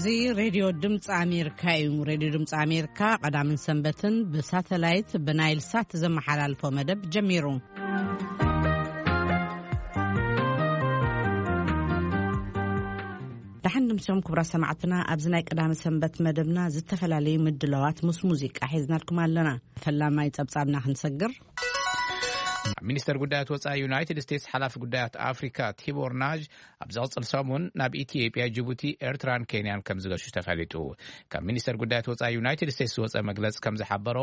እዚ ሬድዮ ድምፂ ኣሜሪካ እዩ። ሬድዮ ድምፂ ኣሜሪካ ቀዳምን ሰንበትን ብሳተላይት ብናይል ሳት ዘመሓላልፎ መደብ ጀሚሩ። ደሓን ድምሶም ክቡራት ሰማዕትና፣ ኣብዚ ናይ ቀዳመ ሰንበት መደብና ዝተፈላለዩ ምድላዋት ምስ ሙዚቃ ሒዝናልኩም ኣለና። ፈላማይ ጸብጻብና ክንሰግር። ኣብ ሚኒስተር ጉዳያት ወጻኢ ዩናይትድ ስቴትስ ሓላፊ ጉዳያት ኣፍሪካ ቲቦር ናዥ ኣብ ዝቕጽል ሰሙን ናብ ኢትዮጵያ፣ ጅቡቲ፣ ኤርትራን ኬንያን ከም ዝገሹ ተፈሊጡ። ካብ ሚኒስተር ጉዳያት ወጻኢ ዩናይትድ ስቴትስ ዝወጸ መግለጽ ከም ዝሓበሮ፣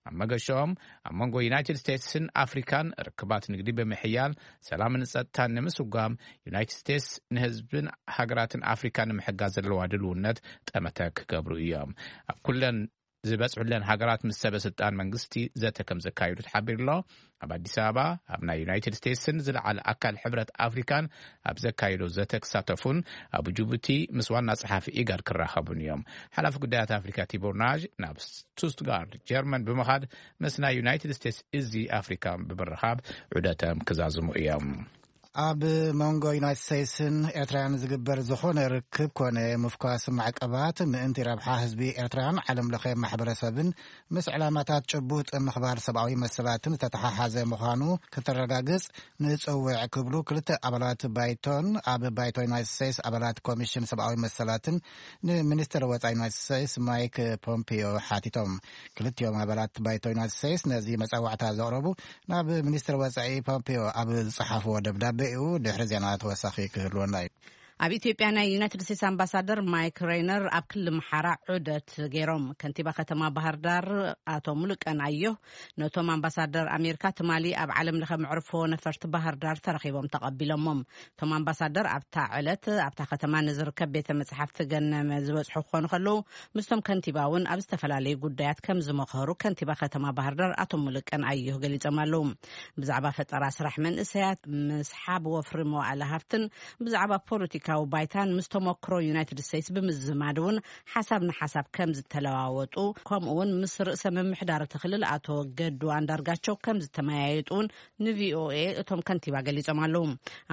ኣብ መገሻኦም ኣብ መንጎ ዩናይትድ ስቴትስን ኣፍሪካን ርክባት ንግዲ ብምሕያል፣ ሰላምን ጸጥታን ንምስጓም፣ ዩናይትድ ስቴትስ ንህዝብን ሃገራትን ኣፍሪካ ንምሕጋዝ ዘለዋ ድልውነት ጠመተ ክገብሩ እዮም። ኣብ ኩለን ዝበጽሑለን ሃገራት ምስ ሰበ ስልጣን መንግስቲ ዘተ ከም ዘካየዱ ተሓቢሩ ኣሎ። ኣብ ኣዲስ ኣበባ ኣብ ናይ ዩናይትድ ስቴትስን ዝለዓለ ኣካል ሕብረት ኣፍሪካን ኣብ ዘካየዶ ዘተ ክሳተፉን ኣብ ጅቡቲ ምስ ዋና ጸሓፊ ኢጋድ ክራኸቡን እዮም። ሓላፊ ጉዳያት ኣፍሪካ ቲቦር ናዥ ናብ ስቱትጋርድ ጀርመን ብምኻድ ምስ ናይ ዩናይትድ ስቴትስ እዚ ኣፍሪካ ብምርኻብ ዑደቶም ክዛዝሙ እዮም። ኣብ መንጎ ዩናይትድ ስቴትስን ኤርትራን ዝግበር ዝኾነ ርክብ ኮነ ምፍኳስ ማዕቀባት ምእንቲ ረብሓ ህዝቢ ኤርትራን ዓለም ለኸ ማሕበረሰብን ምስ ዕላማታት ጭቡጥ ምኽባር ሰብኣዊ መሰላትን ዝተተሓሓዘ ምዃኑ ክተረጋግጽ ንጽውዕ ክብሉ ክልተ ኣባላት ባይቶን ኣብ ባይቶ ዩናይትድ ስቴትስ ኣባላት ኮሚሽን ሰብኣዊ መሰላትን ንሚኒስትር ወጻኢ ዩናይትድ ስቴትስ ማይክ ፖምፒዮ ሓቲቶም። ክልቲኦም ኣባላት ባይቶ ዩናይትድ ስቴትስ ነዚ መጸዋዕታ ዘቕረቡ ናብ ሚኒስትር ወጻኢ ፖምፒዮ ኣብ ዝጸሓፍዎ ደብዳቤ እዩ። ድሕሪ ዜና ተወሳኺ ክህልወና እዩ። ኣብ ኢትዮጵያ ናይ ዩናይትድ ስቴትስ ኣምባሳደር ማይክ ሬይነር ኣብ ክልል ምሓራ ዑደት ገይሮም። ከንቲባ ከተማ ባህር ዳር ኣቶ ሙሉቀን ኣዮህ ነቶም ኣምባሳደር ኣሜሪካ ትማሊ ኣብ ዓለም ለኸ መዕርፎ ነፈርቲ ባህር ዳር ተረኺቦም ተቐቢሎሞም። እቶም ኣምባሳደር ኣብታ ዕለት ኣብታ ከተማ ንዝርከብ ቤተ መጽሓፍቲ ገነመ ዝበጽሑ ክኾኑ ከለዉ፣ ምስቶም ከንቲባ እውን ኣብ ዝተፈላለዩ ጉዳያት ከም ዝመኸሩ ከንቲባ ከተማ ባህር ዳር ኣቶ ሙሉቀን ኣዮህ ገሊጾም ኣለዉ። ብዛዕባ ፈጠራ ስራሕ መንእሰያት፣ ምስሓብ ወፍሪ መዋእለ ሃፍትን ብዛዕባ ፖለቲካዊ ባይታን ምስ ተመክሮ ዩናይትድ ስቴትስ ብምዝማድ እውን ሓሳብ ንሓሳብ ከም ዝተለዋወጡ፣ ከምኡ እውን ምስ ርእሰ ምምሕዳር እቲ ክልል ኣቶ ገዱ ኣንዳርጋቸው ከም ዝተመያየጡ እውን ንቪኦኤ እቶም ከንቲባ ገሊጾም ኣለዉ።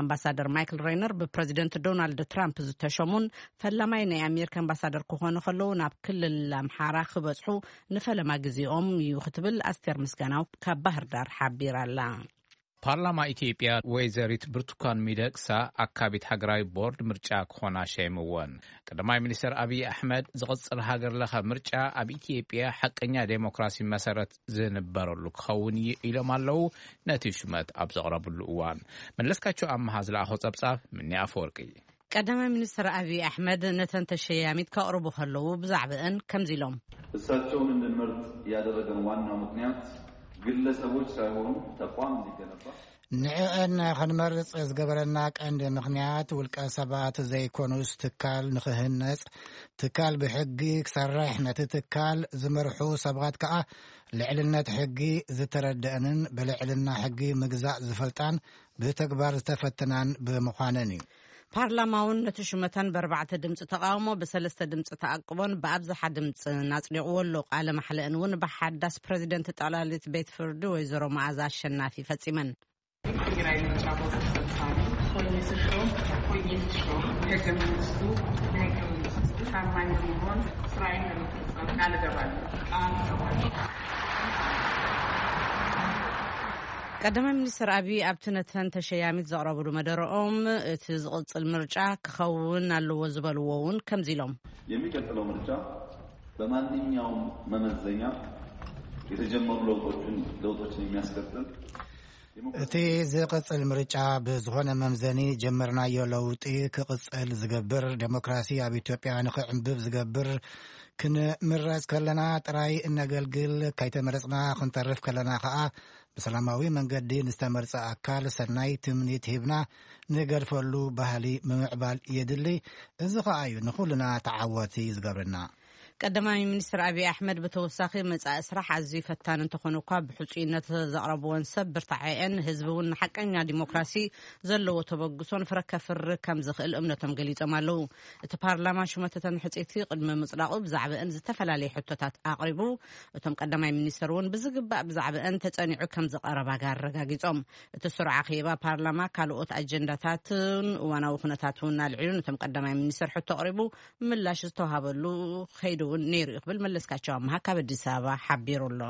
ኣምባሳደር ማይክል ሬይነር ብፕረዚደንት ዶናልድ ትራምፕ ዝተሸሙን ፈላማይ ናይ ኣሜሪካ ኣምባሳደር ክኾኑ ከለዉ፣ ናብ ክልል ኣምሓራ ክበጽሑ ንፈለማ ግዜኦም እዩ ክትብል ኣስቴር ምስጋናው ካብ ባህር ዳር ሓቢራ ኣላ። ፓርላማ ኢትዮጵያ ወይዘሪት ብርቱካን ሚደቅሳ ኣካቢት ሃገራዊ ቦርድ ምርጫ ክኾና ሸይምወን። ቀዳማይ ሚኒስትር ኣብይ ኣሕመድ ዝቕጽል ሃገር ለኸ ምርጫ ኣብ ኢትዮጵያ ሓቀኛ ዴሞክራሲ መሰረት ዝንበረሉ ክኸውን እዩ ኢሎም ኣለዉ። ነቲ ሹመት ኣብ ዘቕረብሉ እዋን መለስካቸው ኣመሃ ዝለኣኾ ጸብጻብ ምኒ ኣፈወርቂ። ቀዳማይ ሚኒስትር ኣብይ ኣሕመድ ነተን ተሸያሚት ከቕርቡ ከለዉ ብዛዕባእን ከምዚ ኢሎም። እሳቸውን እንድንመርጥ ያደረገን ዋናው ምክንያት ግለሰቦች ሳይሆኑ ተቋም እንዲገነባ። ንዕአን ክንመርጽ ዝገበረና ቀንዲ ምኽንያት ውልቀ ሰባት ዘይኮኑስ ትካል ንኽህነጽ፣ ትካል ብሕጊ ክሰርሕ፣ ነቲ ትካል ዝመርሑ ሰባት ከኣ ልዕልነት ሕጊ ዝተረደአንን ብልዕልና ሕጊ ምግዛእ ዝፈልጣን ብተግባር ዝተፈተናን ብምዃነን እዩ። ፓርላማ እውን ነቲ ሹመተን ብኣርባዕተ ድምፂ ተቃውሞ ብሰለስተ ድምፂ ተኣቅቦን ብኣብዝሓ ድምፂ ናፅዲቕዎ ኣሎ። ቃለ ማሕለአን እውን ብሓዳስ ፕረዚደንት ጠቕላሊት ቤት ፍርዲ ወይዘሮ መኣዛ ኣሸናፊ ፈፂመን። የብሔራዊ ምርጫ ቦርድ ሰብሳቢ ሆኜ ስሾም ሆኜ ስሾም ህገ መንግስቱ ለህገ መንግስቱ ታማኝ በመሆን ስራዬን ለመፈጸም ቃል እገባለሁ። ቃል እገባለሁ። ቀዳማይ ሚኒስትር ኣብይ ኣብቲ ነተን ተሸያሚት ዘቕረብሉ መደረኦም፣ እቲ ዝቕጽል ምርጫ ክኸውን ኣለዎ ዝበልዎ እውን ከምዚ ኢሎም። የሚቀጥለው ምርጫ በማንኛውም መመዘኛ የተጀመሩ ለውጦችን ለውጦችን የሚያስቀጥል እቲ ዝቕጽል ምርጫ ብዝኾነ መምዘኒ ጀመርናዮ ለውጢ ክቕጽል ዝገብር፣ ዴሞክራሲ ኣብ ኢትዮጵያ ንኽዕንብብ ዝገብር፣ ክንምረጽ ከለና ጥራይ እነገልግል፣ ከይተመረጽና ክንተርፍ ከለና ኸኣ ብሰላማዊ መንገዲ ንዝተመርጸ ኣካል ሰናይ ትምኒት ሂብና ንገድፈሉ ባህሊ ምምዕባል የድሊ። እዚ ኸኣ እዩ ንኹልና ተዓወቲ ዝገብረና። ቀዳማይ ሚኒስትር ኣብይ ኣሕመድ ብተወሳኺ መጻኢ ስራሕ ኣዝዩ ፈታኒ እንተኾነ እኳ ብሕጹይነት ዘቕረብዎን ሰብ ብርታዐኤን ህዝቢ እውን ንሓቀኛ ዲሞክራሲ ዘለዎ ተበግሶን ፍረ ከፍሪ ከም ዝኽእል እምነቶም ገሊጾም ኣለዉ። እቲ ፓርላማ ሹመተተን ሕጽይቲ ቅድሚ ምጽዳቑ ብዛዕባእን ዝተፈላለየ ሕቶታት ኣቕሪቡ። እቶም ቀዳማይ ሚኒስትር እውን ብዝግባእ ብዛዕባእን ተጸኒዑ ከም ዝቐረባ ኣረጋጊጾም። እቲ ስሩዕ ኣኼባ ፓርላማ ካልኦት ኣጀንዳታትን እዋናዊ ኩነታት እውን ኣልዒሉ። ነቶም ቀዳማይ ሚኒስትር ሕቶ ኣቕሪቡ ምላሽ ዝተዋሃበሉ ከይዱ እውን ነይሩ እዩ ክብል መለስካቸው ኣምሃ ካብ ኣዲስ ኣበባ ሓቢሩ ኣሎ።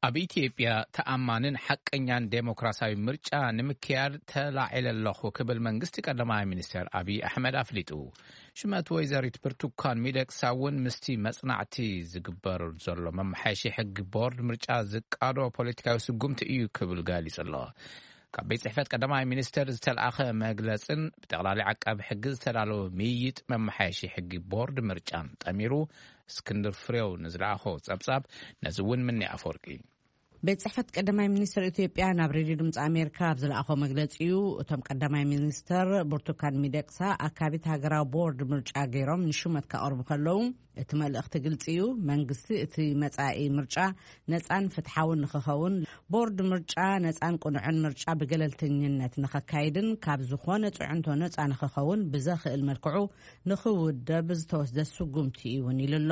ኣብ ኢትዮጵያ ተኣማንን ሓቀኛን ዴሞክራሲያዊ ምርጫ ንምክያድ ተላዒለ ኣለኹ ክብል መንግስቲ ቀዳማይ ሚኒስትር ኣብይ ኣሕመድ ኣፍሊጡ። ሽመት ወይዘሪት ብርቱካን ሚደቅሳ እውን ምስቲ መጽናዕቲ ዝግበር ዘሎ መመሓየሺ ሕጊ ቦርድ ምርጫ ዝቃዶ ፖለቲካዊ ስጉምቲ እዩ ክብል ገሊጹ ኣሎ። ካብ ቤት ጽሕፈት ቀዳማይ ሚኒስትር ዝተልኣኸ መግለጽን ብጠቕላሊ ዓቃቢ ሕጊ ዝተዳለወ ምይይጥ መመሓየሺ ሕጊ ቦርድ ምርጫን ጠሚሩ እስክንድር ፍሬው ንዝለኣኾ ጸብጻብ ነዚ እውን ምኒ ኣፈወርቂ። ቤት ጽሕፈት ቀዳማይ ሚኒስትር ኢትዮጵያ ናብ ሬድዮ ድምፂ ኣሜሪካ ኣብ ዝለኣኾ መግለፂ እዩ። እቶም ቀዳማይ ሚኒስትር ብርቱካን ሚደቅሳ ኣካቢት ሃገራዊ ቦርድ ምርጫ ገይሮም ንሹመት ከቕርቡ ከለዉ፣ እቲ መልእኽቲ ግልፂ እዩ። መንግስቲ እቲ መጻኢ ምርጫ ነፃን ፍትሓውን ንክኸውን፣ ቦርድ ምርጫ ነፃን ቅኑዕን ምርጫ ብገለልተኝነት ንኸካይድን ካብ ዝኾነ ፅዕንቶ ነፃ ንክኸውን ብዘኽእል መልክዑ ንኽውደብ ዝተወስደ ስጉምቲ እዩ እውን ኢሉ ኣሎ።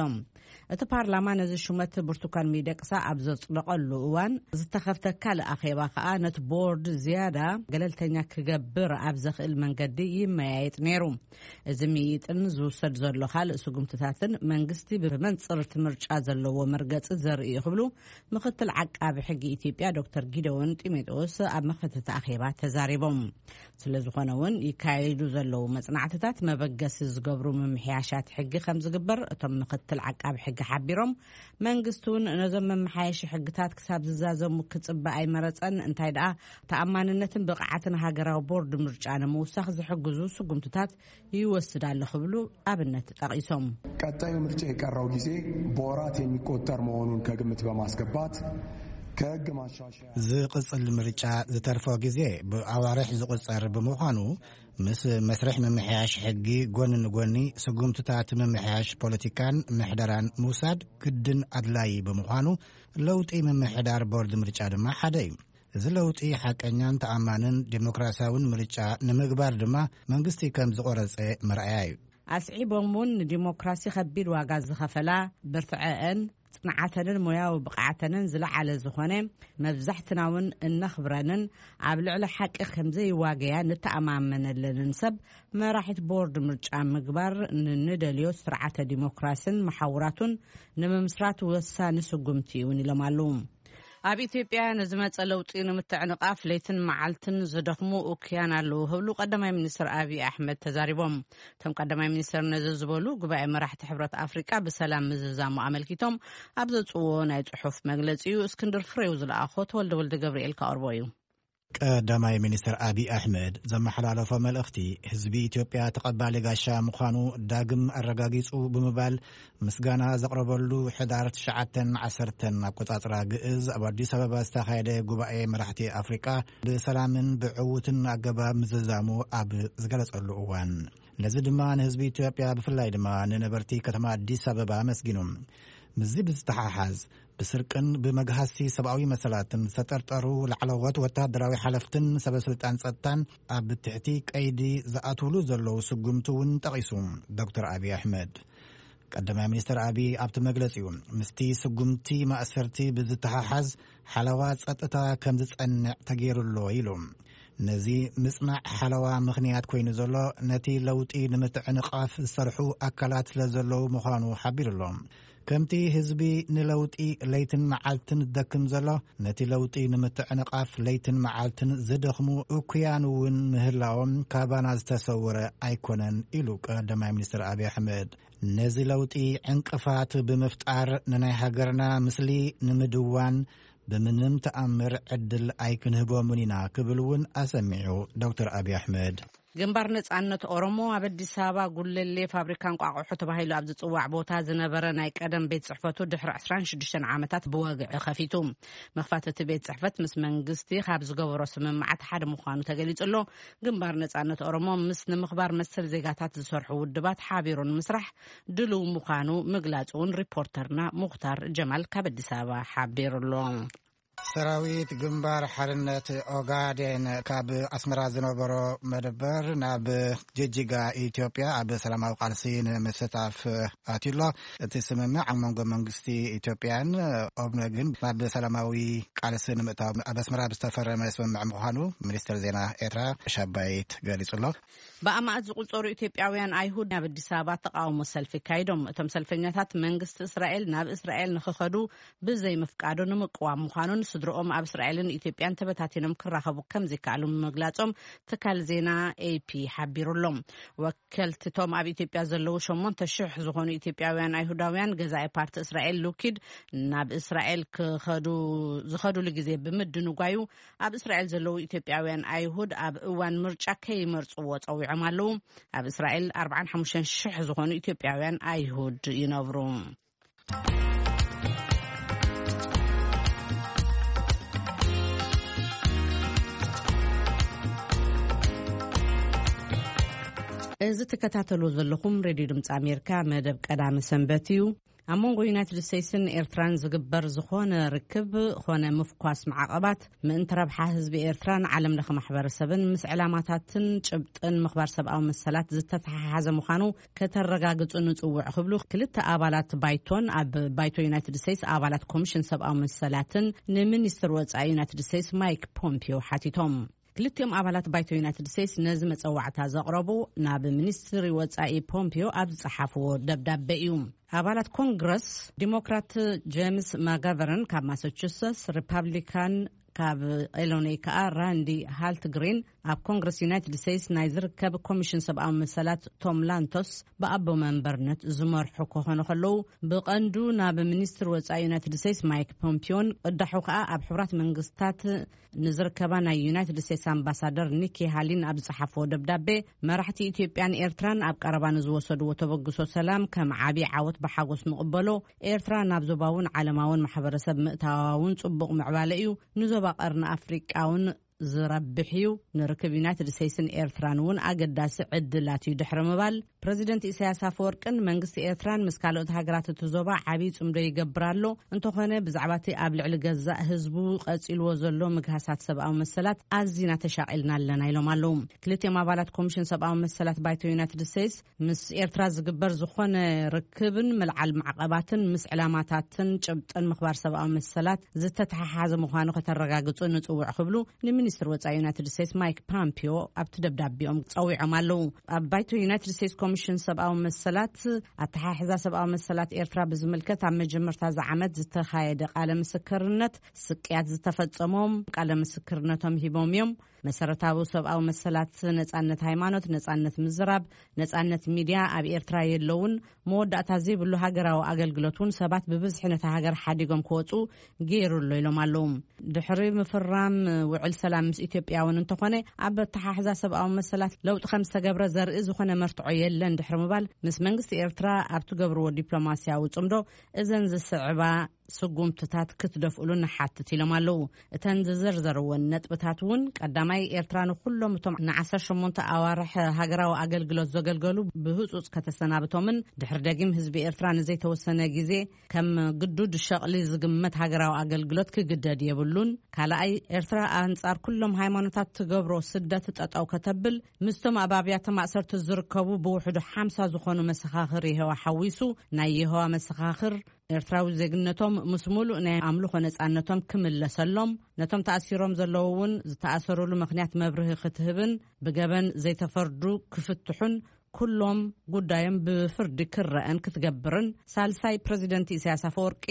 እቲ ፓርላማ ነዚ ሹመት ብርቱካን ሚደቅሳ ኣብ ዘጽደቐሉ እዋን ዝተኸፍተ ካልእ ኣኼባ ከኣ ነቲ ቦርድ ዝያዳ ገለልተኛ ክገብር ኣብ ዘኽእል መንገዲ ይመያየጥ ነይሩ። እዚ ምይይጥን ዝውሰድ ዘሎ ካልእ ስጉምትታትን መንግስቲ ብመንጽር እቲ ምርጫ ዘለዎ መርገጺ ዘርኢ እዩ ክብሉ ምክትል ዓቃቢ ሕጊ ኢትዮጵያ ዶክተር ጊደዎን ጢሞቴዎስ ኣብ መኽፈቲ እቲ ኣኼባ ተዛሪቦም። ስለ ዝኾነ እውን ይካየዱ ዘለዉ መጽናዕትታት መበገሲ ዝገብሩ ምምሕያሻት ሕጊ ከም ዝግበር እቶም ምክትል ዓቃቢ ሕጊ ሓቢሮም፣ መንግስቲ እውን ነዞም መመሓየሺ ሕግታት ክሳብ ዝዛዘሙ ክጽበ ኣይመረጸን፣ እንታይ ደኣ ተኣማንነትን ብቕዓትን ሃገራዊ ቦርድ ምርጫ ንምውሳኽ ዝሕግዙ ስጉምትታት ይወስድ ኣሎ ክብሉ ኣብነት ጠቒሶም። ቀጣዩ ምርጫ የቀረው ጊዜ በወራት የሚቆጠር መሆኑን ከግምት በማስገባት ከህግ ማሻሻያ ዝቕጽል ምርጫ ዝተርፎ ግዜ ብኣዋርሕ ዝቑጸር ብምዃኑ፣ ምስ መስርሕ ምምሕያሽ ሕጊ ጎኒ ንጎኒ ስጉምትታት ምምሕያሽ ፖለቲካን ምሕደራን ምውሳድ ግድን ኣድላዪ ብምዃኑ፣ ለውጢ ምምሕዳር ቦርድ ምርጫ ድማ ሓደ እዩ። እዚ ለውጢ ሓቀኛን ተኣማንን ዴሞክራሲያውን ምርጫ ንምግባር ድማ መንግስቲ ከም ዝቖረጸ መርኣያ እዩ። ኣስዒቦም እውን ንዲሞክራሲ ከቢድ ዋጋ ዝኸፈላ፣ ብርትዐአን፣ ጽንዓተንን ሞያዊ ብቕዓተንን ዝለዓለ ዝኾነ፣ መብዛሕትና እውን እነኽብረንን ኣብ ልዕሊ ሓቂ ከም ዘይዋገያ ንተኣማመነለንን ሰብ መራሒት ቦርድ ምርጫ ምግባር ንንደልዮ ስርዓተ ዲሞክራስን መሓውራቱን ንምምስራት ወሳኒ ስጉምቲ እውን ኢሎም ኣለዉ። ኣብ ኢትዮጵያ ንዝመጸ ለውጢ ንምትዕንቓፍ ለይትን መዓልትን ዝደኽሙ እኩያን ኣለዉ ክብሉ ቀዳማይ ሚኒስትር ኣብይ ኣሕመድ ተዛሪቦም። እቶም ቀዳማይ ሚኒስትር ነዚ ዝበሉ ጉባኤ መራሕቲ ሕብረት ኣፍሪቃ ብሰላም ምዝዛሙ ኣመልኪቶም ኣብ ዘውጽዎ ናይ ጽሑፍ መግለጺ እዩ። እስክንድር ፍሬው ዝለኣኾ ተወልደ ወልደ ገብርኤል ከቕርቦ እዩ። ቀዳማይ ሚኒስትር ኣብይ ኣሕመድ ዘመሓላለፎ መልእኽቲ ህዝቢ ኢትዮጵያ ተቐባሊ ጋሻ ምዃኑ ዳግም ኣረጋጊጹ ብምባል ምስጋና ዘቕረበሉ ሕዳር ትሽዓተን ዓሰርተን ኣቆጻጽራ ግእዝ ኣብ ኣዲስ ኣበባ ዝተኻየደ ጉባኤ መራሕቲ ኣፍሪቃ ብሰላምን ብዕዉትን ኣገባብ ምዝዛሙ ኣብ ዝገለጸሉ እዋን፣ ነዚ ድማ ንህዝቢ ኢትዮጵያ ብፍላይ ድማ ንነበርቲ ከተማ ኣዲስ ኣበባ ኣመስጊኑ። ምስዚ ብዝተሓሓዝ ብስርቅን ብመግሃስቲ ሰብኣዊ መሰላትን ዝተጠርጠሩ ላዕለዎት ወታደራዊ ሓለፍትን ሰበስልጣን ጸጥታን ኣብ ትሕቲ ቀይዲ ዝኣትውሉ ዘለዉ ስጉምቲ እውን ጠቒሱ ዶክተር ኣብይ ኣሕመድ። ቀዳማይ ሚኒስትር ኣብይ ኣብቲ መግለጺኡ፣ ምስቲ ስጉምቲ ማእሰርቲ ብዝተሓሓዝ ሓለዋ ጸጥታ ከም ዝጸንዕ ተገይሩ ኣሎ ኢሉ። ነዚ ምጽናዕ ሓለዋ ምኽንያት ኮይኑ ዘሎ ነቲ ለውጢ ንምትዕንቓፍ ዝሰርሑ ኣካላት ስለ ዘለዉ ምዃኑ ሓቢሩ ኣሎ። ከምቲ ህዝቢ ንለውጢ ለይትን መዓልትን ዝደክም ዘሎ፣ ነቲ ለውጢ ንምትዕንቓፍ ለይትን መዓልትን ዝደኽሙ እኩያን እውን ምህላዎም ካባና ዝተሰወረ ኣይኮነን ኢሉ ቀዳማይ ሚኒስትር ኣብይ ኣሕመድ። ነዚ ለውጢ ዕንቅፋት ብምፍጣር ንናይ ሃገርና ምስሊ ንምድዋን ብምንም ተኣምር ዕድል ኣይክንህቦምን ኢና ክብል እውን ኣሰሚዑ ዶክተር ኣብይ ኣሕመድ። ግንባር ነጻነት ኦሮሞ ኣብ ኣዲስ ኣበባ ጉለሌ ፋብሪካ እንቋቑሖ ተባሂሉ ኣብ ዝጽዋዕ ቦታ ዝነበረ ናይ ቀደም ቤት ጽሕፈቱ ድሕሪ ዕስራን ሽዱሽተን ዓመታት ብወግዒ ከፊቱ። መኽፋት እቲ ቤት ጽሕፈት ምስ መንግስቲ ካብ ዝገበሮ ስምምዓት ሓደ ምዃኑ ተገሊጹ ኣሎ። ግንባር ነጻነት ኦሮሞ ምስ ንምኽባር መሰል ዜጋታት ዝሰርሑ ውድባት ሓቢሩ ንምስራሕ ድልው ምዃኑ ምግላጹ እውን ሪፖርተርና ሙኽታር ጀማል ካብ ኣዲስ ኣበባ ሓቢሩ ኣሎ። ሰራዊት ግንባር ሓርነት ኦጋዴን ካብ ኣስመራ ዝነበሮ መደበር ናብ ጅጅጋ ኢትዮጵያ ኣብ ሰላማዊ ቃልሲ ንምስታፍ ኣትዩ ኣሎ። እቲ ስምምዕ ኣብ መንጎ መንግስቲ ኢትዮጵያን ኦብነግን ናብ ሰላማዊ ቃልሲ ንምእታው ኣብ ኣስመራ ዝተፈረመ ስምምዕ ምዃኑ ሚኒስትር ዜና ኤርትራ ሻባይት ገሊጹ ኣሎ። ብኣማእት ዝቑጸሩ ኢትዮጵያውያን ኣይሁድ ናብ ኣዲስ ኣበባ ተቓውሞ ሰልፊ ኣካይዶም። እቶም ሰልፈኛታት መንግስቲ እስራኤል ናብ እስራኤል ንኽኸዱ ብዘይምፍቃዱ ንምቅዋም ምዃኑን ስድርኦም ኣብ እስራኤልን ኢትዮጵያን ተበታቲኖም ክራኸቡ ከም ዘይከኣሉ ምግላጾም ትካል ዜና ኤ ፒ ሓቢሩ ኣሎ። ወከልቲ እቶም ኣብ ኢትዮጵያ ዘለዉ ሸሞንተ ሽሕ ዝኾኑ ኢትዮጵያውያን ኣይሁዳውያን ገዛኢ ፓርቲ እስራኤል ሉኪድ ናብ እስራኤል ክኸዱ ዝኸዱሉ ግዜ ብምድንጓዩ ኣብ እስራኤል ዘለዉ ኢትዮጵያውያን ኣይሁድ ኣብ እዋን ምርጫ ከይመርጽዎ ጸዊዖም ኣለዉ። ኣብ እስራኤል ኣርባዓን ሓሙሽተን ሽሕ ዝኾኑ ኢትዮጵያውያን ኣይሁድ ይነብሩ። እዚ ትከታተሉ ዘለኹም ሬድዮ ድምፂ ኣሜሪካ መደብ ቀዳሚ ሰንበት እዩ። ኣብ መንጎ ዩናይትድ ስቴትስን ኤርትራን ዝግበር ዝኾነ ርክብ ኾነ ምፍኳስ ማዕቐባት ምእንቲ ረብሓ ህዝቢ ኤርትራን ዓለም ለኸ ማሕበረሰብን ምስ ዕላማታትን ጭብጥን ምኽባር ሰብኣዊ መሰላት ዝተተሓሓዘ ምዃኑ ከተረጋግጹ ንጽውዕ ክብሉ ክልተ ኣባላት ባይቶን ኣብ ባይቶ ዩናይትድ ስቴትስ ኣባላት ኮሚሽን ሰብኣዊ መሰላትን ንሚኒስትር ወጻኢ ዩናይትድ ስቴትስ ማይክ ፖምፒዮ ሓቲቶም። ክልቲኦም ኣባላት ባይቶ ዩናይትድ ስቴትስ ነዚ መጸዋዕታ ዘቕረቡ ናብ ሚኒስትሪ ወጻኢ ፖምፒዮ ኣብ ዝጸሓፍዎ ደብዳቤ እዩ። ኣባላት ኮንግረስ ዲሞክራት ጄምስ ማጋቨርን ካብ ማሳቹሰትስ፣ ሪፓብሊካን ካብ ኢሎኖይ ከኣ ራንዲ ሃልት ግሪን ኣብ ኮንግረስ ዩናይትድ ስቴትስ ናይ ዝርከብ ኮሚሽን ሰብኣዊ መሰላት ቶም ላንቶስ ብኣቦ መንበርነት ዝመርሑ ክኾኑ ከለዉ፣ ብቐንዱ ናብ ሚኒስትር ወጻኢ ዩናይትድ ስቴትስ ማይክ ፖምፒዮን ቅዳሑ ከኣ ኣብ ሕቡራት መንግስታት ንዝርከባ ናይ ዩናይትድ ስቴትስ ኣምባሳደር ኒኪ ሃሊን ኣብ ዝጸሓፍዎ ደብዳቤ፣ መራሕቲ ኢትዮጵያን ኤርትራን ኣብ ቀረባ ንዝወሰድዎ ተበግሶ ሰላም ከም ዓቢ ዓወት ብሓጎስ ንቕበሎ፣ ኤርትራ ናብ ዞባውን ዓለማውን ማሕበረሰብ ምእታዋ እውን ጽቡቕ ምዕባለ እዩ፣ ንዞባ ቀርኒ ኣፍሪቃ እውን ዝረብሕ እዩ፣ ንርክብ ዩናይትድ ስቴትስን ኤርትራን እውን ኣገዳሲ ዕድላት እዩ ድሕሪ ምባል፣ ፕረዚደንት ኢሳያስ ኣፈወርቅን መንግስቲ ኤርትራን ምስ ካልኦት ሃገራት እቲ ዞባ ዓብዪ ጽምዶ ይገብር ኣሎ። እንተኾነ ብዛዕባ እቲ ኣብ ልዕሊ ገዛእ ህዝቡ ቀጺልዎ ዘሎ ምግሃሳት ሰብኣዊ መሰላት ኣዚና ተሻቒልና ኣለና ኢሎም ኣለዉ። ክልቲኦም ኣባላት ኮሚሽን ሰብኣዊ መሰላት ባይቶ ዩናይትድ ስቴትስ ምስ ኤርትራ ዝግበር ዝኾነ ርክብን ምልዓል ማዕቐባትን ምስ ዕላማታትን ጭብጥን ምኽባር ሰብኣዊ መሰላት ዝተተሓሓዘ ምዃኑ ከተረጋግጹ ንጽውዕ ክብሉ ንሚኒስትር ወጻኢ ዩናይትድ ስቴትስ ማይክ ፓምፒዮ ኣብቲ ደብዳቤኦም ጸዊዖም ኣለዉ። ኣብ ባይቶ ዩናይትድ ስቴትስ ኮሚሽን ሰብኣዊ መሰላት ኣተሓሕዛ ሰብኣዊ መሰላት ኤርትራ ብዝምልከት ኣብ መጀመርታ እዚ ዓመት ዝተኻየደ ቃለ ምስክርነት ስቅያት ዝተፈጸሞም ቃለ ምስክርነቶም ሂቦም እዮም። መሰረታዊ ሰብኣዊ መሰላት ነጻነት ሃይማኖት፣ ነጻነት ምዝራብ፣ ነጻነት ሚድያ ኣብ ኤርትራ የለውን። መወዳእታ ዘይብሉ ሃገራዊ ኣገልግሎት እውን ሰባት ብብዝሒ ነታ ሃገር ሓዲጎም ክወጹ ገይሩ ኣሎ ኢሎም ኣለዉ። ድሕሪ ምፍራም ውዕል ሰላም ምስ ኢትዮጵያ እውን እንተኾነ ኣብ ኣተሓሕዛ ሰብኣዊ መሰላት ለውጢ ከም ዝተገብረ ዘርኢ ዝኾነ መርትዖ የለን ድሕሪ ምባል ምስ መንግስቲ ኤርትራ ኣብ ትገብርዎ ዲፕሎማስያዊ ጽምዶ እዘን ዝስዕባ ስጉምትታት ክትደፍእሉ ንሓትት ኢሎም ኣለዉ። እተን ዝዘርዘርወን ነጥብታት እውን ቀዳማይ ኤርትራ ንኩሎም እቶም ንዓሰርተ ሸሞንተ ኣዋርሕ ሃገራዊ ኣገልግሎት ዘገልገሉ ብህጹጽ ከተሰናብቶምን ድሕሪ ደጊም ህዝቢ ኤርትራ ንዘይተወሰነ ግዜ ከም ግዱድ ሸቕሊ ዝግመት ሃገራዊ ኣገልግሎት ክግደድ የብሉን። ካልኣይ ኤርትራ ኣንጻር ኩሎም ሃይማኖታት ትገብሮ ስደት ጠጠው ከተብል ምስቶም ኣብ ኣብያተ ማእሰርቲ ዝርከቡ ብውሕዱ ሓምሳ ዝኾኑ መሰኻኽር የሆዋ ሓዊሱ ናይ የሆዋ መሰኻኽር ኤርትራዊ ዜግነቶም ምስ ሙሉእ ናይ ኣምልኾ ነጻነቶም ክምለሰሎም፣ ነቶም ተኣሲሮም ዘለዉ እውን ዝተኣሰሩሉ ምኽንያት መብርሂ ክትህብን ብገበን ዘይተፈርዱ ክፍትሑን ኩሎም ጉዳዮም ብፍርዲ ክረአን ክትገብርን፣ ሳልሳይ ፕረዚደንት ኢሳያስ ኣፈወርቂ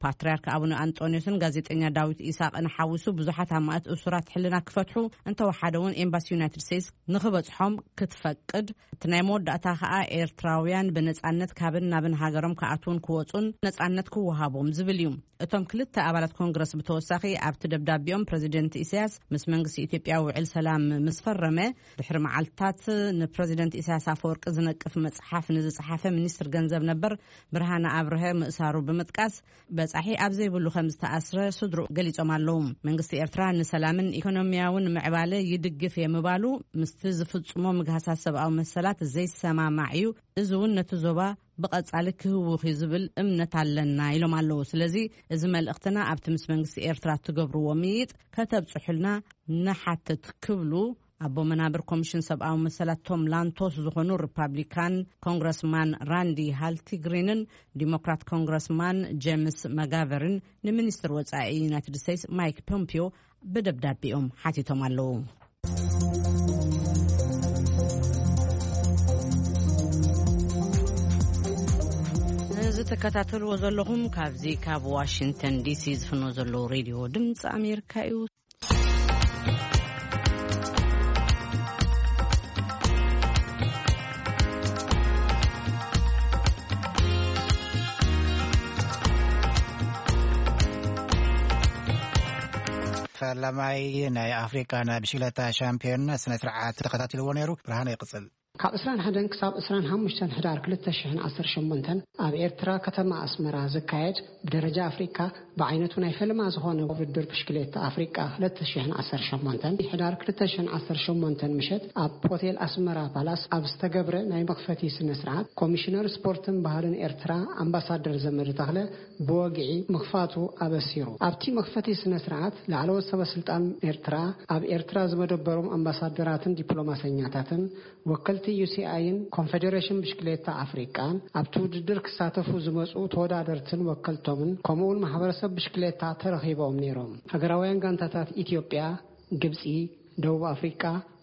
ፓትርያርክ ኣቡነ ኣንጦንዮስን ጋዜጠኛ ዳዊት ኢሳቕን ሓዊሱ ብዙሓት ኣማእት እሱራት ሕልና ክፈትሑ፣ እንተወሓደ እውን ኤምባሲ ዩናይትድ ስቴትስ ንኽበጽሖም ክትፈቅድ፣ እቲ ናይ መወዳእታ ከኣ ኤርትራውያን ብነጻነት ካብን ናብን ሃገሮም ክኣትዉን ክወጹን ነጻነት ክወሃቦም ዝብል እዩ። እቶም ክልተ ኣባላት ኮንግረስ ብተወሳኺ ኣብቲ ደብዳቤኦም ፕረዚደንት ኢሳያስ ምስ መንግስቲ ኢትዮጵያ ውዕል ሰላም ምስ ፈረመ ድሕሪ መዓልትታት ንፕረዚደንት ኢሳያስ ኣፈወርቂ ዝነቅፍ መጽሓፍ ንዝጸሓፈ ሚኒስትር ገንዘብ ነበር ብርሃነ ኣብርሀ ምእሳሩ ብምጥቃስ በጻሒ ኣብ ዘይብሉ ከም ዝተኣስረ ስድሩ ገሊጾም ኣለዉ። መንግስቲ ኤርትራ ንሰላምን ኢኮኖሚያውን ምዕባለ ይድግፍ እየ ምባሉ ምስቲ ዝፍጽሞ ምግሃሳት ሰብኣዊ መሰላት ዘይሰማማዕ እዩ። እዚ እውን ነቲ ዞባ ብቐጻሊ ክህውኽ እዩ ዝብል እምነት ኣለና ኢሎም ኣለዉ። ስለዚ እዚ መልእኽትና ኣብቲ ምስ መንግስቲ ኤርትራ እትገብርዎ ምይጥ ከተብጽሑልና ንሓትት ክብሉ ኣቦ መናብር ኮሚሽን ሰብኣዊ መሰላት ቶም ላንቶስ ዝኾኑ ሪፓብሊካን ኮንግረስማን ራንዲ ሃልቲግሪንን ዲሞክራት ኮንግረስማን ጄምስ መጋቨርን ንሚኒስትር ወጻኢ ዩናይትድ ስቴትስ ማይክ ፖምፒዮ ብደብዳቤኦም ሓቲቶም ኣለዉ። እዚ ትከታተልዎ ዘለኹም ካብዚ ካብ ዋሽንግተን ዲሲ ዝፍኖ ዘሎ ሬድዮ ድምፂ ኣሜሪካ እዩ። ፈላማይ ናይ ኣፍሪቃ ናይ ብሽክለታ ሻምፒዮን ስነ ስርዓት ተኸታቲልዎ ነይሩ። ብርሃነ ይቕጽል። ካብ ዕስራን ሓደን ክሳብ ዕስራን ሓሙሽተን ሕዳር ክልተ ሽሕን ዓሰርተ ሸሞንተን ኣብ ኤርትራ ከተማ ኣስመራ ዝካየድ ብደረጃ ኣፍሪቃ ብዓይነቱ ናይ ፈለማ ዝኾነ ውድድር ብሽክሌታ ኣፍሪቃ ክልተ ሽሕን ዓሰርተ ሸሞንተን ሕዳር ክልተ ሽሕን ዓሰርተ ሸሞንተን ምሸት ኣብ ሆቴል ኣስመራ ፓላስ ኣብ ዝተገብረ ናይ መኽፈቲ ስነ ስርዓት ኮሚሽነር ስፖርትን ባህልን ኤርትራ ኣምባሳደር ዘመደ ተኽለ ብወግዒ ምኽፋቱ ኣበሲሩ። ኣብቲ መኽፈቲ ስነ ስርዓት ላዕለዎት ሰበ ስልጣን ኤርትራ፣ ኣብ ኤርትራ ዝመደበሮም ኣምባሳደራትን ዲፕሎማሰኛታትን፣ ወከልቲ ዩ ሲ ኣይን ኮንፌዴሬሽን ብሽክሌታ ኣፍሪቃን ኣብቲ ውድድር ክሳተፉ ዝመጹ ተወዳደርትን ወከልቶምን ከምኡውን ማሕበረሰብ ብሽክሌታ ተረኺቦም ነይሮም። ሃገራውያን ጋንታታት ኢትዮጵያ፣ ግብጺ፣ ደቡብ ኣፍሪቃ፣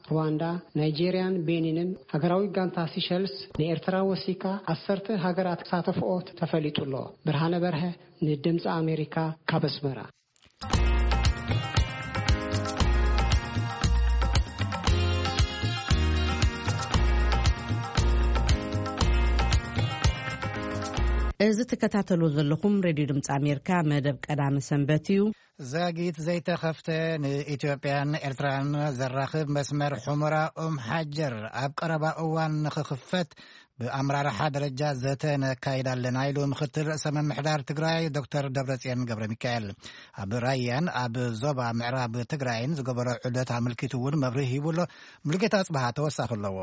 ሩዋንዳ፣ ናይጄርያን ቤኒንን ሃገራዊ ጋንታ ሲሸልስ ንኤርትራ ወሲካ ዓሰርተ ሃገራት ክሳተፍኦ ተፈሊጡ ኣሎ። ብርሃነ በርሀ ንድምፂ ኣሜሪካ ካብ ኣስመራ። እዚ ትከታተሉ ዘለኹም ሬድዮ ድምፂ ኣሜሪካ መደብ ቀዳመ ሰንበት እዩ። ዛጊት ዘይተኸፍተ ንኢትዮጵያን ኤርትራን ዘራኽብ መስመር ሑመራ ኡም ሓጀር ኣብ ቀረባ እዋን ንኽኽፈት ብኣመራርሓ ደረጃ ዘተ ነካይድ ኣለና ኢሉ ምኽትል ርእሰ ምምሕዳር ትግራይ ዶክተር ደብረጽዮን ገብረ ሚካኤል። ኣብ ራያን ኣብ ዞባ ምዕራብ ትግራይን ዝገበሮ ዑደት ኣመልኪቱ እውን መብርሂ ሂቡ ኣሎ። ሙሉጌታ ኣጽብሃ ተወሳኺ ኣለዎ።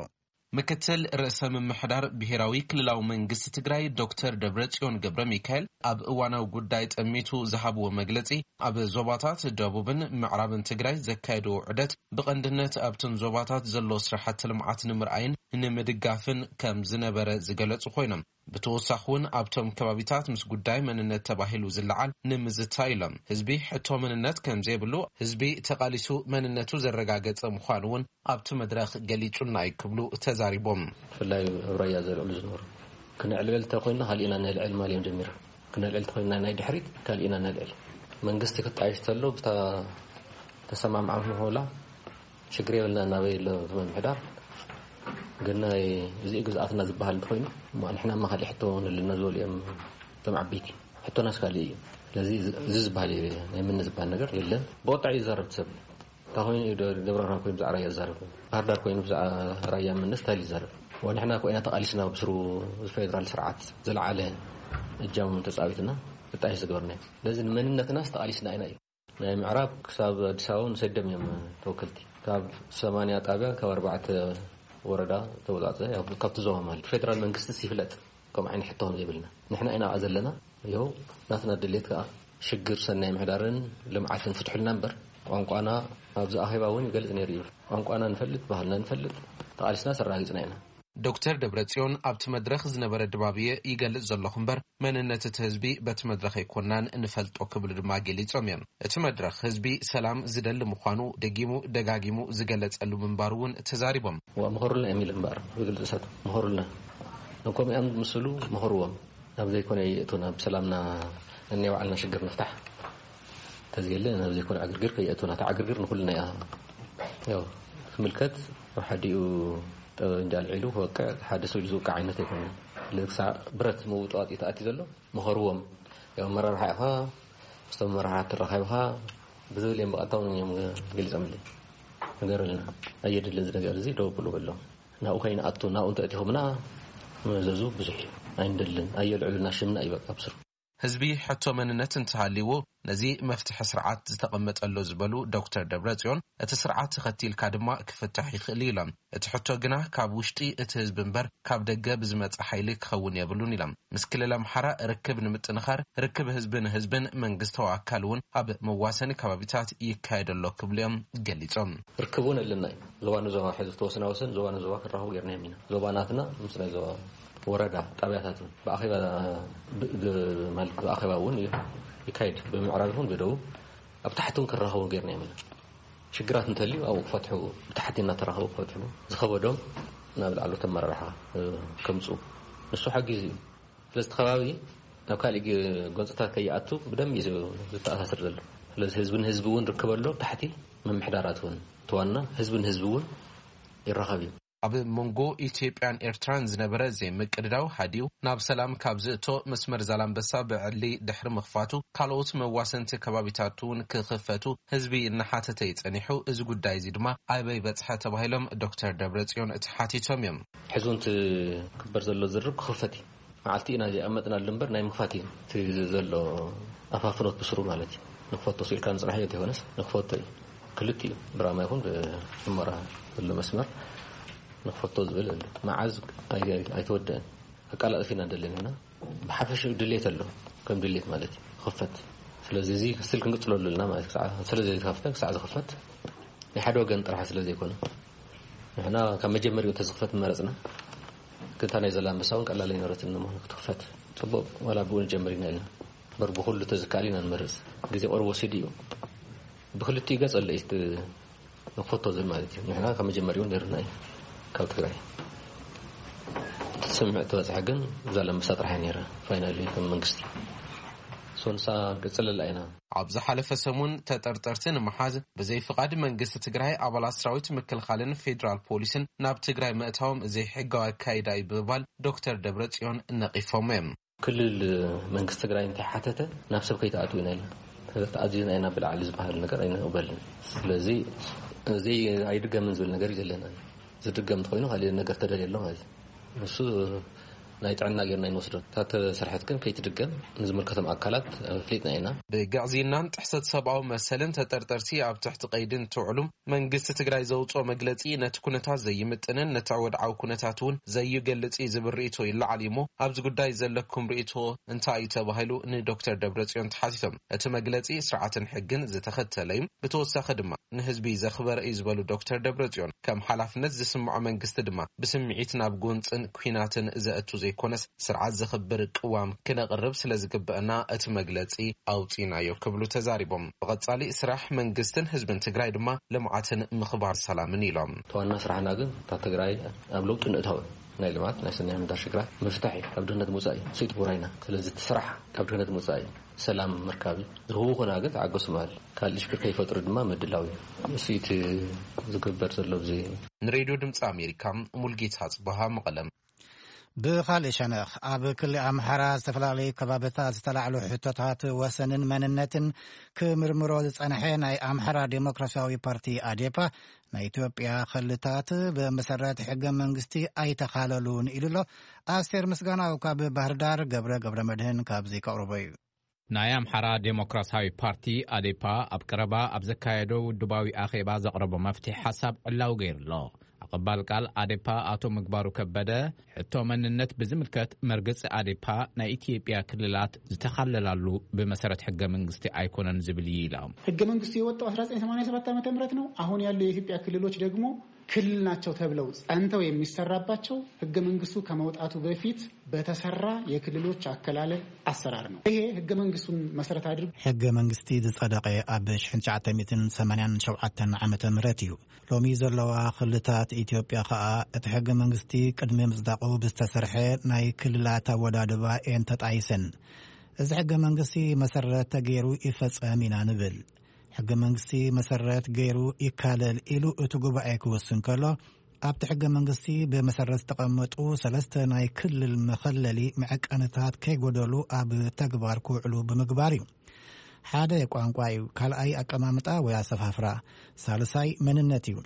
ምክትል ርእሰ ምምሕዳር ብሔራዊ ክልላዊ መንግስቲ ትግራይ ዶክተር ደብረጽዮን ገብረ ሚካኤል ኣብ እዋናዊ ጉዳይ ጠሚቱ ዝሃብዎ መግለጺ፣ ኣብ ዞባታት ደቡብን ምዕራብን ትግራይ ዘካየድዎ ዑደት ብቐንድነት ኣብተን ዞባታት ዘሎ ስራሕቲ ልምዓት ንምርኣይን ንምድጋፍን ከም ዝነበረ ዝገለጹ ኮይኖም፣ ብተወሳኺ እውን ኣብቶም ከባቢታት ምስ ጉዳይ መንነት ተባሂሉ ዝለዓል ንምዝታይ ኢሎም፣ ህዝቢ ሕቶ መንነት ከም ዘይብሉ፣ ህዝቢ ተቓሊሱ መንነቱ ዘረጋገጸ ምዃኑ እውን ኣብቲ መድረኽ ገሊጹና እዩ ክብሉ ተዛሪቦም። ብፍላይ ኣብ ራያ ዘልዕሉ ዝነበሩ፣ ክነዕልዕል እንተኮይንና ካልእ ኢና ነልዕል ማል እዮም ጀሚሮም። ክነልዕል እንተኮይንና ናይ ድሕሪት ካልእ ኢና ነልዕል። መንግስቲ ክጣየሽ ተሎ ብታ ተሰማምዓም ሆላ ሽግር የብልና እናበይ ኣሎ እቲ ምምሕዳር። ግን ናይ እዚ ግዝኣትና ዝበሃል እንተኮይኑ፣ እሞ ንሕና እማ ካልእ ሕቶ ንልና ዝበሉ እዮም እቶም ዓበይቲ። ሕቶናስ ካልእ እዩ። ስለዚ እዚ ዝበሃል እዩ፣ ናይ ምኒ ዝበሃል ነገር የለን። ብቁጣዕ እዩ ዝዛረብ እቲ ሰብ። እንታይ ኮይኑ እዩ ደ-፣ ደብረ ብርሃን ኮይኑ ብዛዕባ ራያ ዝዛረብ? ባህር ዳር ኮይኑ ብዛዕባ ራያ ምንስ እንታይ እዩ ዝዛረብ? ወንሕና እኮ ኢና ተቓሊስና ብስሩ ፌደራል ስርዓት ዝለዓለ እጃም ተጻዊትና ክጣየሽ ዝገበርና እዩ። ስለዚ ንመንነትናስ ተቓሊስና ኢና እዩ። ናይ ምዕራብ ክሳብ ኣዲስ ኣበባ ንሰደም እዮም ተወከልቲ። ካብ ሰማንያ ጣብያ ካብ ኣርባዕተ ወረዳ ተወጻጸ፣ ያው ካብቲ ዞባ ማለት ፌደራል መንግስቲስ ይፍለጥ። ከምኡ ዓይነት ሕቶ ከም ዘይብልና። ንሕና ኢና ኣብኣ ዘለና። ይኸው ናትና ድሌት ከኣ ሽግር ሰናይ ምሕዳርን ልምዓትን ፍትሑልና እምበር፣ ቋንቋና ኣብዚ ኣኼባ እውን ይገልጽ ነይሩ እዩ። ቋንቋና ንፈልጥ፣ ባህልና ንፈልጥ፣ ተቓሊስና ኣረጋጊጽና ኢና። ዶክተር ደብረጽዮን ኣብቲ መድረኽ ዝነበረ ድባብ እየ ይገልጽ ዘለኹ እምበር፣ መንነት እቲ ህዝቢ በቲ መድረኽ ኣይኮናን ንፈልጦ ክብሉ ድማ ገሊጾም እዮም። እቲ መድረኽ ህዝቢ ሰላም ዝደሊ ምዃኑ ደጊሙ ደጋጊሙ ዝገለጸሉ ምንባሩ እውን ተዛሪቦም። ዋ፣ ምኸሩልና እዮም ኢሉ እምበኣር፣ ብግልጺ እሳት ምኸሩልና። ንከምኡ እዮም ዝምስሉ፣ ምኸርዎም። ናብ ዘይኮነ የእቱና፣ ብሰላምና ናይ ባዕልና ሽግር ንፍታሕ። ተዝየለ ናብ ዘይኮነ ዕግርግር ከየእትውና። እታ ዕግርግር ንኩልና እያ። ያው ትምልከት። ኣብ ሓዲኡ ጠበንጃ ኣልዒሉ ክወቅዕ፣ ሓደ ሰብ ኢሉ ዝውቅዕ ዓይነት ኣይኮነን። ስለዚ ክሳዕ ብረት ምውጥዋጥ እዩ ተኣትዩ ዘሎ። ምኸርዎም። ያው ኣመራርሓ ኢኻ፣ ምስቶም ኣመራርሓ ተራኺብካ ብዝብል እዮም ብቐጥታ እውን እዮም ገሊጾምለይ። ንገረልና፣ ኣየድልን እዚ ነገር እዚ፣ ደው ብሉ በሎም። ናብኡ ከይንኣቱ፣ ናብኡ እንተእቲኹምና መዘዙ ብዙሕ እዩ። ኣይንደልን፣ ኣየልዕሉና ሽምና እዩ በቃ ብስሩ። ህዝቢ ሕቶ መንነት እንተሃልይዎ ነዚ መፍትሒ ስርዓት ዝተቐመጠሎ ዝበሉ ዶክተር ደብረጽዮን፣ እቲ ስርዓት ተኸቲልካ ድማ ክፍታሕ ይኽእል እዩ ኢሎም። እቲ ሕቶ ግና ካብ ውሽጢ እቲ ህዝቢ እምበር ካብ ደገ ብዝመጽእ ሓይሊ ክኸውን የብሉን ኢሎም። ምስ ክልል ኣምሓራ ርክብ ንምጥንኻር ርክብ ህዝቢ ንህዝብን መንግስታዊ ኣካል እውን ኣብ መዋሰኒ ከባቢታት ይካየድ ኣሎ ክብሉ እዮም ገሊጾም። ርክብ እውን ኣለና እዩ። ዞባ ንዞባ ሕዚ ዝተወሰነ ወሰን ዞባ ንዞባ ክራኸቡ ጌርና ኢና። ዞባ ናትና ምስ ናይ ዞባ ወረዳ ጣብያታት እውን ብኣኼባ ብ- ብ- ማለት ብኣኼባ እውን ይካየድ። ብምዕራብ ይኹን ብደቡብ ኣብ ታሕቲ እውን ክራኸቡ ጌርና ኢና። ሽግራት እንተልዩ ኣብኡ ክፈትሑ፣ ብታሕቲ እናተራኸቡ ክፈትሑ፣ ዝኸበዶም ናብ ላዕለዎት ኣመራርሓ ከምፁ፣ ንሱ ሓጊዙ እዩ። ስለዚ እቲ ከባቢ ናብ ካሊእ ጎንፅታት ከይኣቱ ብደንብ እዩ ዝተኣሳስር ዘሎ። ስለዚ ህዝቢ ንህዝቢ እውን ርክብ ኣሎ፣ ታሕቲ ምምሕዳራት እውን፣ እቲ ዋና ህዝቢ ንህዝቢ እውን ይራኸብ እዩ። ኣብ መንጎ ኢትዮጵያን ኤርትራን ዝነበረ ዘይምቅድዳው ሃዲኡ ናብ ሰላም ካብ ዝእቶ፣ መስመር ዛላምበሳ ብዕሊ ድሕሪ ምኽፋቱ፣ ካልኦት መዋሰንቲ ከባቢታት እውን ክኽፈቱ ህዝቢ እናሓተተ እዩ ጸኒሑ። እዚ ጉዳይ እዚ ድማ ኣበይ በጽሐ ተባሂሎም ዶክተር ደብረጽዮን ተሓቲቶም እዮም። ሕዚ እውን ትግበር ዘሎ ዝርርብ ክኽፈት እዩ። መዓልቲ ኢና ዘይኣመጥናሉ እምበር ናይ ምኽፋት እዩ እቲ ዘሎ ኣፋፍኖት ብስሩ ማለት እዩ። ንክፈቶ ስኢልካ ንጽናሕ እዩ እንተይኮነስ ንክፈቶ እዩ። ክልቲኡ ብራማ ይኹን ብሑመራ ዘሎ መስመር ንክፈቶ ዝብል ኣሎ። መዓዝ ኣይ- ኣይተወደአን። ኣቃላጥፍ ኢና እንደለና ኢና። ብሓፈሽኡ ድሌት ኣሎ፣ ከም ድሌት ማለት እዩ ክኽፈት። ስለዚ እዚ ስል ክንቅጽለሉ ኣለና ማለት እዩ። ክሳዕ ስለ ዘይተኸፍተ ክሳዕ ዝኽፈት ናይ ሓደ ወገን ጥራሕ ስለ ዘይኮነ ንሕና ካብ መጀመሪኡ እንተዝኽፈት ምመረጽና። ግን እታ ናይ ዘላንበሳ እውን ቀላል ኣይነበረትን። ንምዃኑ ክትኽፈት ጽቡቕ ዋላ ብኡ ንጀምር ኢና ኢልና እምበር ብኹሉ ተዝከኣል ኢና ንመርጽ። ግዜ ቁሩብ ወሲዱ እዩ። ብክልቲኡ ገጽ ኣሎ እዩ እቲ ንክፈቶ ዝብል ማለት እዩ። ንሕና ካብ መጀመሪኡ ነይሩና እዩ ካብ ትግራይ። እቲ ስምምዕ ተበፅሐ ግን ዛላንበሳ ጥራሕ እያ ነይራ ፋይናሊ ከም መንግስቲ። ሶንሳ ገጽለላ ኢና። ኣብ ዝሓለፈ ሰሙን ተጠርጠርቲ ንምሓዝ ብዘይ ፍቓድ መንግስቲ ትግራይ ኣባላት ሰራዊት ምክልኻልን ፌዴራል ፖሊስን ናብ ትግራይ ምእታዎም ዘይሕጋዊ ኣካይዳ እዩ ብምባል ዶክተር ደብረጽዮን ነቒፎም እዮም። ክልል መንግስቲ ትግራይ እንተሓተተ ናብ ሰብ ከይትኣትዉ ኢና ኢልና። ተኣዚዝና ኢና ብላዕሊ ዝበሃል ነገር ኣይንቕበልን። ስለዚ እዚ ኣይድገምን ዝብል ነገር እዩ ዘለና። ዝድገም እንተኮይኑ ካሊእ ነገር ተደልየ ኣሎ ማለት እዩ። ንሱ ናይ ጥዕና ጌርና ይንወስዶ። እታ ተሰርሐት ግን ከይትድገም ንዝምልከቶም ኣካላት ኣፍሊጥና ኢና። ብግዕዝይናን ጥሕሰት ሰብኣዊ መሰልን ተጠርጠርቲ ኣብ ትሕቲ ቀይዲ እንትውዕሉ መንግስቲ ትግራይ ዘውፅኦ መግለፂ ነቲ ኩነታት ዘይምጥንን ነቲ ወድዓዊ ኩነታት እውን ዘይገልፅ እዩ ዝብል ርእይቶ ይለዓል እዩ እሞ ኣብዚ ጉዳይ ዘለኩም ርእይቶ እንታይ እዩ ተባሂሉ ንዶክተር ደብረፅዮን ተሓቲቶም እቲ መግለፂ ስርዓትን ሕግን ዝተኸተለ እዩ። ብተወሳኺ ድማ ንህዝቢ ዘኽበረ እዩ ዝበሉ ዶክተር ደብረፅዮን ከም ሓላፍነት ዝስምዖ መንግስቲ ድማ ብስምዒት ናብ ጎንፅን ኩናትን ዘእቱ ዘይኮነስ ስርዓት ዘኽብር ቅዋም ክነቕርብ ስለ ዝግበአና እቲ መግለፂ ኣውፂናዮ ክብሉ ተዛሪቦም። ብቐፃሊ ስራሕ መንግስትን ህዝብን ትግራይ ድማ ልምዓትን ምኽባር ሰላምን ኢሎም። እቲ ዋና ስራሕና ግን እታ ትግራይ ኣብ ለውጢ ንእታው ናይ ልምዓት ናይ ሰናይ ምዳር ሽግራት ምፍታሕ እዩ። ካብ ድህነት ምውፃእ እዩ። ስኢት ጉራይና ስለዚ እቲ ስራሕ ካብ ድህነት ምውፃእ እዩ። ሰላም ምርካብ እዩ። ዝህቡ ኮና ግን ተዓገሱ ምባል ካልእ ሽግር ከይፈጥሩ ድማ ምድላው እዩ። እሱ እቲ ዝግበር ዘሎ ብዚ ንሬድዮ ድምፂ ኣሜሪካ ሙልጌታ ጽበሃ መቐለም። ብኻልእ ሸነኽ ኣብ ክሊ ኣምሓራ ዝተፈላለዩ ከባብታት ዝተላዕሉ ሕቶታት ወሰንን መንነትን ክምርምሮ ዝጸንሐ ናይ ኣምሓራ ዴሞክራሲያዊ ፓርቲ ኣዴፓ ናይ ኢትዮጵያ ክልታት ብመሰረት ሕገ መንግስቲ ኣይተኻለሉን ኢሉ ኣሎ። ኣስቴር ምስጋናው ካብ ባህርዳር፣ ገብረ ገብረ መድህን ካብዚ ከቕርቦ እዩ። ናይ ኣምሓራ ዴሞክራሲያዊ ፓርቲ ኣዴፓ ኣብ ቀረባ ኣብ ዘካየዶ ውድባዊ ኣኼባ ዘቕረቦ መፍትሒ ሓሳብ ዕላዊ ገይሩ ኣሎ። ኣቐባል ቃል ኣዴፓ ኣቶ ምግባሩ ከበደ ሕቶ መንነት ብዝምልከት መርገጺ ኣዴፓ ናይ ኢትዮጵያ ክልላት ዝተኻለላሉ ብመሰረት ሕገ መንግስቲ ኣይኮነን ዝብል እዩ ኢሎም። ህገ መንግስቱ የወጣው አስራ ዘጠኝ ሰማንያ ሰባት ዓመተ ምህረት ነው። አሁን ያሉ የኢትዮጵያ ክልሎች ደግሞ ክልል ናቸው ተብለው ጸንተው የሚሰራባቸው ህገ መንግስቱ ከመውጣቱ በፊት በተሰራ የክልሎች አከላለል አሰራር ነው። ይሄ ህገ መንግስቱን መሰረት አድርጎ ሕገ መንግስቲ ዝጸደቐ ኣብ ሽሕን ትሽዓተ ሚእትን ሰማንያን ሸውዓተን ዓመተ ምህረት እዩ። ሎሚ ዘለዋ ክልላት ኢትዮጵያ ኸኣ እቲ ሕገ መንግስቲ ቅድሚ ምጽዳቑ ብዝተሰርሐ ናይ ክልላት ኣወዳድባ እየን ተጣይሰን። እዚ ሕገ መንግስቲ መሰረት ተገይሩ ይፈጸም ኢና ንብል። ሕገ መንግስቲ መሰረት ገይሩ ይካለል ኢሉ እቲ ጉባኤ ክውስን ከሎ፣ ኣብቲ ሕገ መንግስቲ ብመሰረት ዝተቐመጡ ሰለስተ ናይ ክልል መኸለሊ መዐቀንታት ከይጎደሉ ኣብ ተግባር ክውዕሉ ብምግባር እዩ። ሓደ ቋንቋ እዩ፣ ካልኣይ ኣቀማምጣ ወይ ኣሰፋፍራ፣ ሳልሳይ መንነት እዩ፣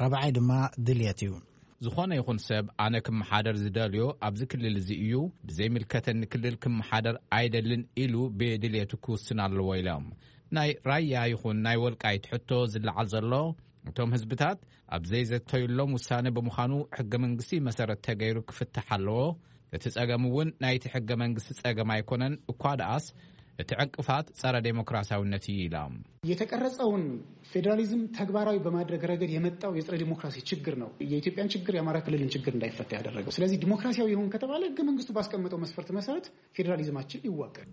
ራብዓይ ድማ ድልየት እዩ። ዝኾነ ይኹን ሰብ ኣነ ክመሓደር ዝደልዮ ኣብዚ ክልል እዚ እዩ፣ ብዘይምልከተኒ ክልል ክመሓደር ኣይደልን ኢሉ ብድልየቱ ክውስን ኣለዎ ኢሎም። ናይ ራያ ይኹን ናይ ወልቃይት ሕቶ ዝለዓል ዘሎ እቶም ህዝብታት ኣብ ዘይዘተዩሎም ውሳነ ብምዃኑ ሕገ መንግስቲ መሰረት ተገይሩ ክፍታሕ ኣለዎ። እቲ ጸገም እውን ናይቲ ሕገ መንግስቲ ጸገም ኣይኮነን፣ እኳ ደኣስ እቲ ዕንቅፋት ጸረ ዴሞክራሲያውነት እዩ ኢሎም። የተቀረጸውን ፌዴራሊዝም ተግባራዊ በማድረግ ረገድ የመጣው የጸረ ዲሞክራሲ ችግር ነው የኢትዮጵያን ችግር የአማራ ክልልን ችግር እንዳይፈታ ያደረገው። ስለዚህ ዲሞክራሲያዊ ይሁን ከተባለ ህገ መንግስቱ ባስቀመጠው መስፈርት መሰረት ፌዴራሊዝማችን ይዋቀር።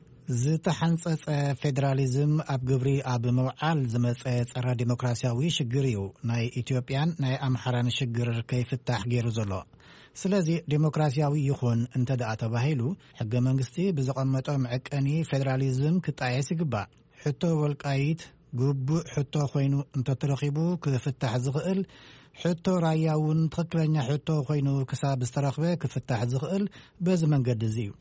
ዝተሓንጸጸ ፌዴራሊዝም ኣብ ግብሪ ኣብ ምውዓል ዝመጸ ጸረ ዲሞክራሲያዊ ሽግር እዩ ናይ ኢትዮጵያን ናይ ኣምሓራን ሽግር ከይፍታሕ ገይሩ ዘሎ። ስለዚ ዲሞክራሲያዊ ይኹን እንተ ደኣ ተባሂሉ፣ ሕገ መንግስቲ ብዘቐመጦ መዐቀኒ ፌዴራሊዝም ክጣየስ ይግባእ። ሕቶ ወልቃይት ግቡእ ሕቶ ኮይኑ እንተተረኺቡ ክፍታሕ ዝኽእል፣ ሕቶ ራያ እውን ትኽክለኛ ሕቶ ኮይኑ ክሳብ ዝተረኽበ ክፍታሕ ዝኽእል በዚ መንገዲ እዚ እዩ።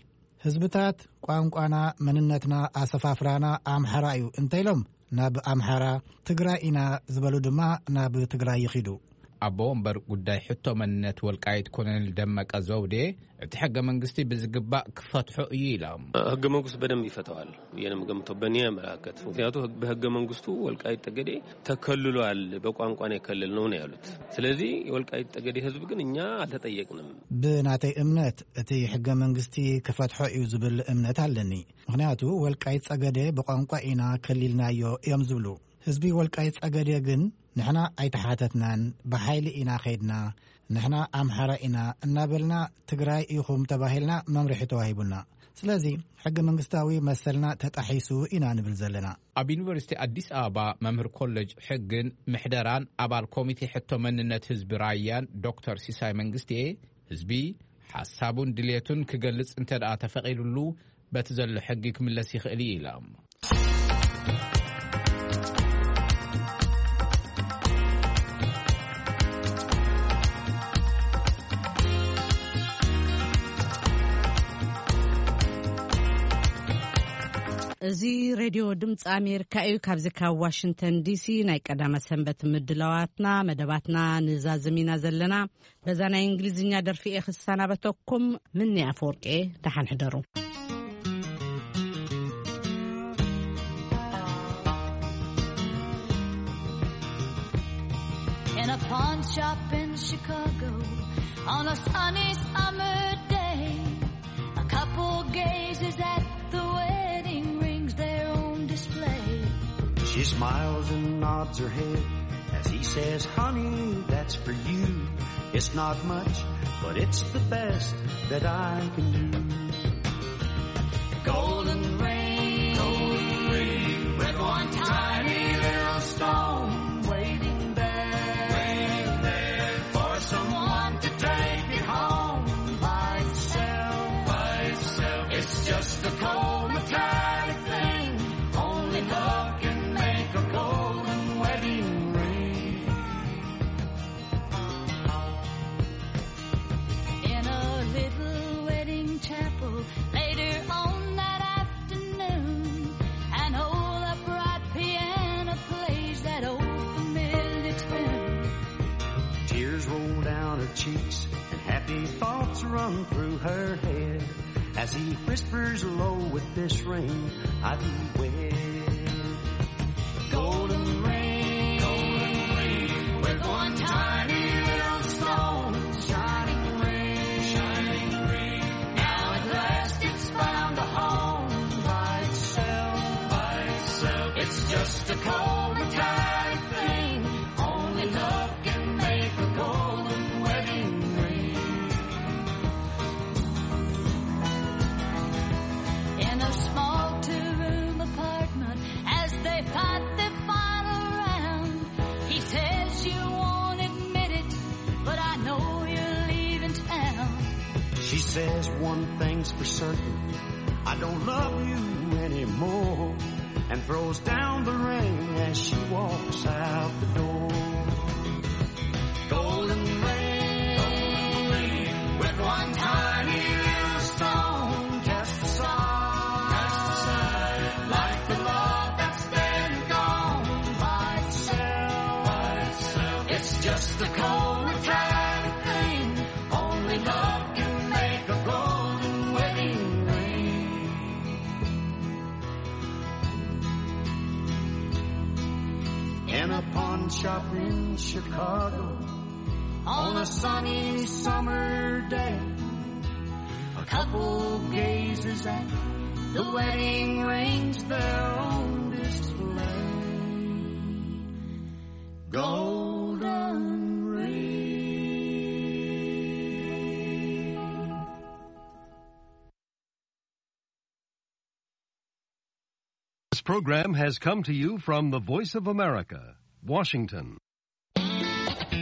ህዝብታት ቋንቋና፣ መንነትና፣ ኣሰፋፍራና ኣምሓራ እዩ እንተኢሎም ናብ ኣምሓራ፣ ትግራይ ኢና ዝበሉ ድማ ናብ ትግራይ ይኺዱ። ኣቦ ወንበር ጉዳይ ሕቶ መንነት ወልቃይት ኮሎኔል ደመቀ ዘውዴ፣ እቲ ሕገ መንግስቲ ብዝግባእ ክፈትሖ እዩ ኢሎም። ህገ መንግስቱ በደንብ ይፈተዋል። የንም ገምቶ በእኔ አመለካከት፣ ምክንያቱ ህግ- በህገ መንግስቱ ወልቃይት ጠገዴ ተከልሏል፣ በቋንቋ ነው የከለልነው ነው ያሉት። ስለዚህ የወልቃይት ጠገዴ ህዝብ ግን እኛ አልተጠየቅንም። ብናተይ እምነት እቲ ሕገ መንግስቲ ክፈትሖ እዩ ዝብል እምነት ኣለኒ። ምክንያቱ ወልቃይት ጸገዴ ብቋንቋ ኢና ከሊልናዮ እዮም ዝብሉ። ህዝቢ ወልቃይት ጸገዴ ግን ንሕና ኣይተሓተትናን፣ ብሓይሊ ኢና ኸይድና፣ ንሕና ኣምሓራ ኢና እናበልና ትግራይ ኢኹም ተባሂልና መምርሒ ተዋሂቡና። ስለዚ ሕገ መንግስታዊ መሰልና ተጣሒሱ ኢና ንብል ዘለና። ኣብ ዩኒቨርሲቲ ኣዲስ ኣበባ መምህር ኮሌጅ ሕግን ምሕደራን ኣባል ኮሚቴ ሕቶ መንነት ህዝቢ ራያን ዶክተር ሲሳይ መንግስቴ፣ ህዝቢ ሓሳቡን ድሌቱን ክገልጽ እንተ ደኣ ተፈቒዱሉ በቲ ዘሎ ሕጊ ክምለስ ይኽእል እዩ ኢሎም። እዚ ሬድዮ ድምፂ ኣሜሪካ እዩ። ካብዚ ካብ ዋሽንግተን ዲሲ ናይ ቀዳመ ሰንበት ምድላዋትና መደባትና ንዛዝም ኢና ዘለና። በዛ ናይ እንግሊዝኛ ደርፊ እየ ክሰናበተኩም። ምኒ ኣፈወርቂ፣ ደሓን ሕደሩ። In a pawn shop in Chicago on a sunny summer day, a couple gazes at the wedding rings there on display. She smiles and nods her head as he says, "Honey, that's for you. It's not much, but it's the best that I can do." Golden ring, golden ring, with one tiny little stone waiting there, waiting there for someone to take it home by itself, by itself. It's just a cold metallic thing. Only love can make a golden wedding ring. In a little wedding chapel later on that afternoon, an old upright piano plays that old familiar tune. Tears roll down her cheeks and happy thoughts run through her head as he whispers low, "With this ring I be wed." Golden ring, golden ring, with one tiny little stone, shining ring, shining ring. Now at last it's found a home by itself, by itself. It's just a cold metallic thing. Only love can make a golden wedding ring. In a small two-room apartment, as they fight the final round, he says, "You won't admit it, but I know you're leaving town." She says, "One thing's for certain, I don't love you anymore, and throws down the ring as she walks out the door. Golden ring, with one tiny little stone cast aside, cast aside, like the love that's been gone by itself, by itself. It's just a cold, metallic thing. Only love can make a golden wedding ring. In a pawn shop in Chicago, on a sunny summer day, a couple gazes at the wedding rings there on display. Golden ring. This program has come to you from the Voice of America, Washington.